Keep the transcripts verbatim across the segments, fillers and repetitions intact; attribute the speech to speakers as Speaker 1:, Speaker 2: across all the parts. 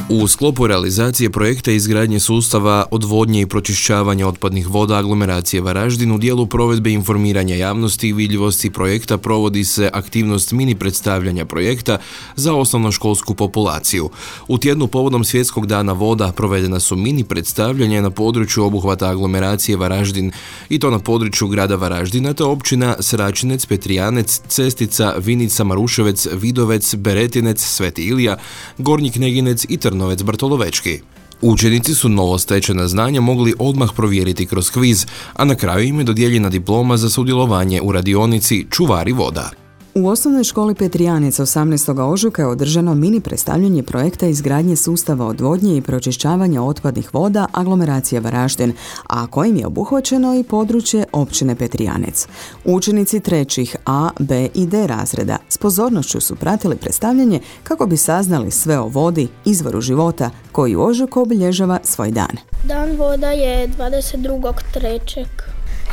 Speaker 1: U sklopu realizacije projekta izgradnje sustava odvodnje i pročišćavanja otpadnih voda aglomeracije Varaždin u dijelu provedbe informiranja javnosti i vidljivosti projekta provodi se aktivnost mini predstavljanja projekta za osnovnoškolsku populaciju. U tjednu povodom Svjetskog dana voda provedena su mini predstavljanja na području obuhvata aglomeracije Varaždin i to na području grada Varaždina te općina Sračinec, Petrijanec, Cestica, Vinica, Maruševec, Vidovec, Beretinec, Sveti Ilija, Gornji Kneginec i Trnovec Bartolovečki. Učenici su novostečena znanja mogli odmah provjeriti kroz kviz, a na kraju im je dodijeljena diploma za sudjelovanje u radionici Čuvari voda.
Speaker 2: U osnovnoj školi Petrijanec osamnaestog ožujka je održano mini predstavljanje projekta izgradnje sustava odvodnje i pročišćavanja otpadnih voda aglomeracije Varaždin, a kojim je obuhvaćeno i područje općine Petrijanec. Učenici trećih A, B i D razreda s pozornošću su pratili predstavljanje kako bi saznali sve o vodi, izvoru života, koji u ožujku obilježava svoj dan.
Speaker 3: Dan voda je dvadeset drugog trećeg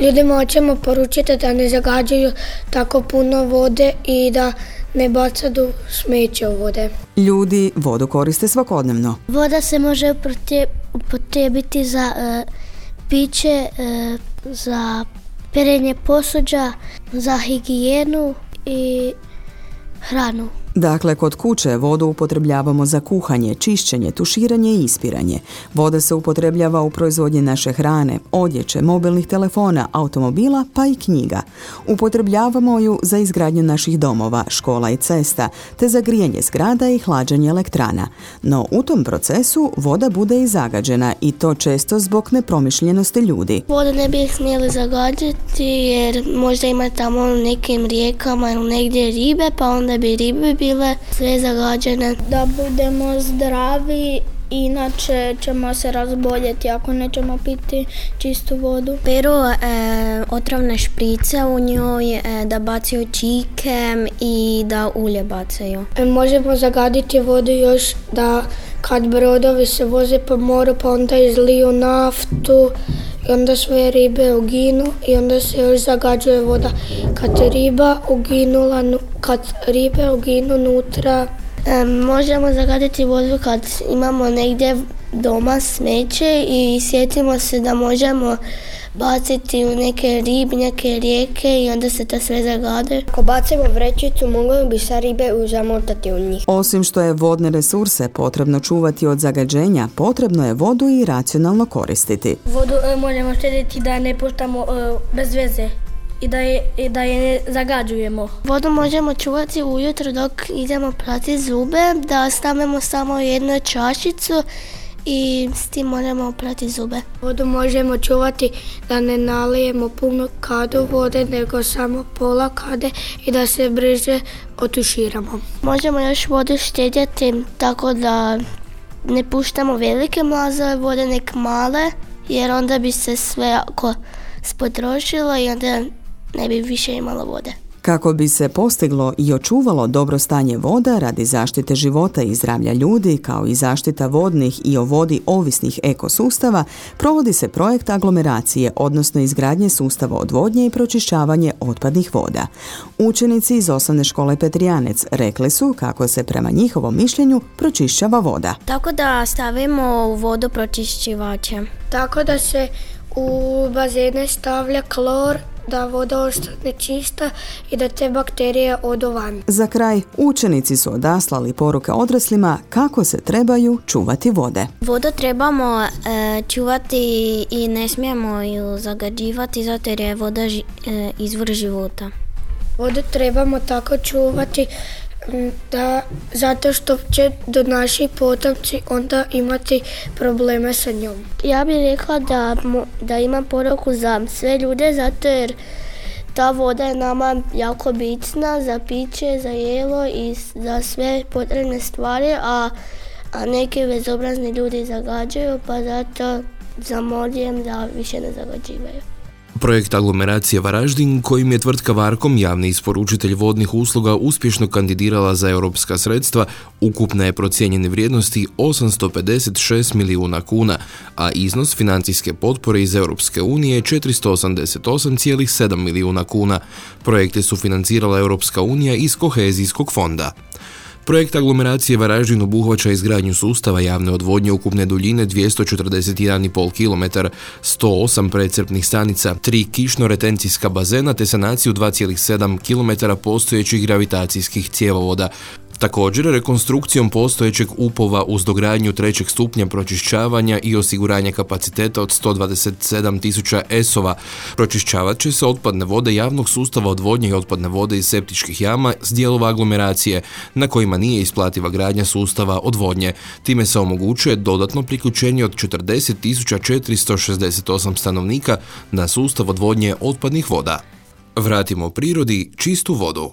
Speaker 3: Ljudima hoćemo poručiti da ne zagađuju tako puno vode i da ne bacaju smeće u vode.
Speaker 2: Ljudi vodu koriste svakodnevno.
Speaker 4: Voda se može upotrijebiti za e, piće, e, za perenje posuđa, za higijenu i hranu.
Speaker 2: Dakle, kod kuće vodu upotrebljavamo za kuhanje, čišćenje, tuširanje i ispiranje. Voda se upotrebljava u proizvodnji naše hrane, odjeće, mobilnih telefona, automobila pa i knjiga. Upotrebljavamo ju za izgradnju naših domova, škola i cesta, te za grijanje zgrada i hlađenje elektrana. No u tom procesu voda bude i zagađena i to često zbog nepromišljenosti ljudi.
Speaker 4: Vodu ne bi smjeli zagađati jer možda ima tamo u nekim rijekama ili negdje ribe, pa onda bi ribe bile sve zagađene.
Speaker 3: Da budemo zdravi, inače ćemo se razboljeti ako nećemo piti čistu vodu.
Speaker 5: Peru e, otrovne šprice u njoj, e, da bacaju čike i da ulje bacaju.
Speaker 3: E, možemo zagaditi vodu još da kad brodovi se voze po moru pa onda izliju naftu i onda sve ribe uginu i onda se još zagađuje voda. Kad riba uginula, kad ribe uginu nutra.
Speaker 4: E, možemo zagaditi vodu kad imamo negdje doma smeće i sjetimo se da možemo baciti u neke ribnjake, rijeke i onda se to sve zagade.
Speaker 3: Ako bacimo vrećicu, mogli bi se ribe zamotati u njih.
Speaker 2: Osim što je vodne resurse potrebno čuvati od zagađenja, potrebno je vodu i racionalno koristiti.
Speaker 3: Vodu e, možemo štediti da ne puštamo e, bez veze i da je, i da je ne zagađujemo.
Speaker 4: Vodu možemo čuvati ujutro dok idemo prati zube, da stavimo samo jednu čašicu i s tim možemo prati zube.
Speaker 3: Vodu možemo čuvati da ne nalijemo puno kadu vode, nego samo pola kade i da se brže otuširamo.
Speaker 4: Možemo još vodu štedjeti tako da ne puštamo velike mlazove vode, nek male, jer onda bi se sve ako spotrošilo i onda ne bi više imalo vode.
Speaker 2: Kako bi se postiglo i očuvalo dobro stanje voda radi zaštite života i zdravlja ljudi, kao i zaštita vodnih i o vodi ovisnih ekosustava, provodi se projekt aglomeracije, odnosno izgradnje sustava odvodnje i pročišćavanje otpadnih voda. Učenici iz osnovne škole Petrijanec rekli su kako se prema njihovom mišljenju pročišćava voda.
Speaker 5: Tako da stavimo u vodu pročišćivače.
Speaker 3: Tako da se u bazene stavlja klor, da voda ostane čista i da te bakterije odu van.
Speaker 2: Za kraj, učenici su odaslali poruke odraslima kako se trebaju čuvati vode.
Speaker 5: Vodu trebamo e, čuvati i ne smijemo ju zagađivati zato jer je voda ži, e, izvor života.
Speaker 3: Vodu trebamo tako čuvati da, zato što će do naši potomci onda imati probleme sa njom.
Speaker 4: Ja bih rekla da, da imam poruku za sve ljude zato jer ta voda je nama jako bitna za piće, za jelo i za sve potrebne stvari, a, a neki bezobrazni ljudi zagađaju, pa zato zamoljujem da više ne zagađivaju.
Speaker 1: Projekt aglomeracije Varaždin, kojim je tvrtka Varkom, javni isporučitelj vodnih usluga, uspješno kandidirala za europska sredstva, ukupne je procijenjene vrijednosti osamsto pedeset šest milijuna kuna, a iznos financijske potpore iz Europske unije je četiristo osamdeset osam zarez sedam milijuna kuna. Projekte su financirala Europska unija iz kohezijskog fonda. Projekt aglomeracije Varaždin obuhvaća izgradnju sustava javne odvodnje ukupne duljine dvjesto četrdeset jedan zarez pet kilometara, sto osam precrpnih stanica, tri kišno-retencijska bazena te sanaciju dva zarez sedam kilometara postojećih gravitacijskih cjevovoda. Također, rekonstrukcijom postojećeg upova uz dogradnju trećeg stupnja pročišćavanja i osiguranje kapaciteta od sto dvadeset sedam tisuća esova pročišćavat će se otpadne vode javnog sustava odvodnje i otpadne vode iz septičkih jama s dijelova aglomeracije na kojima nije isplativa gradnja sustava odvodnje. Time se omogućuje dodatno priključenje od četrdeset tisuća četiristo šezdeset osam stanovnika na sustav odvodnje otpadnih voda. Vratimo prirodi čistu vodu.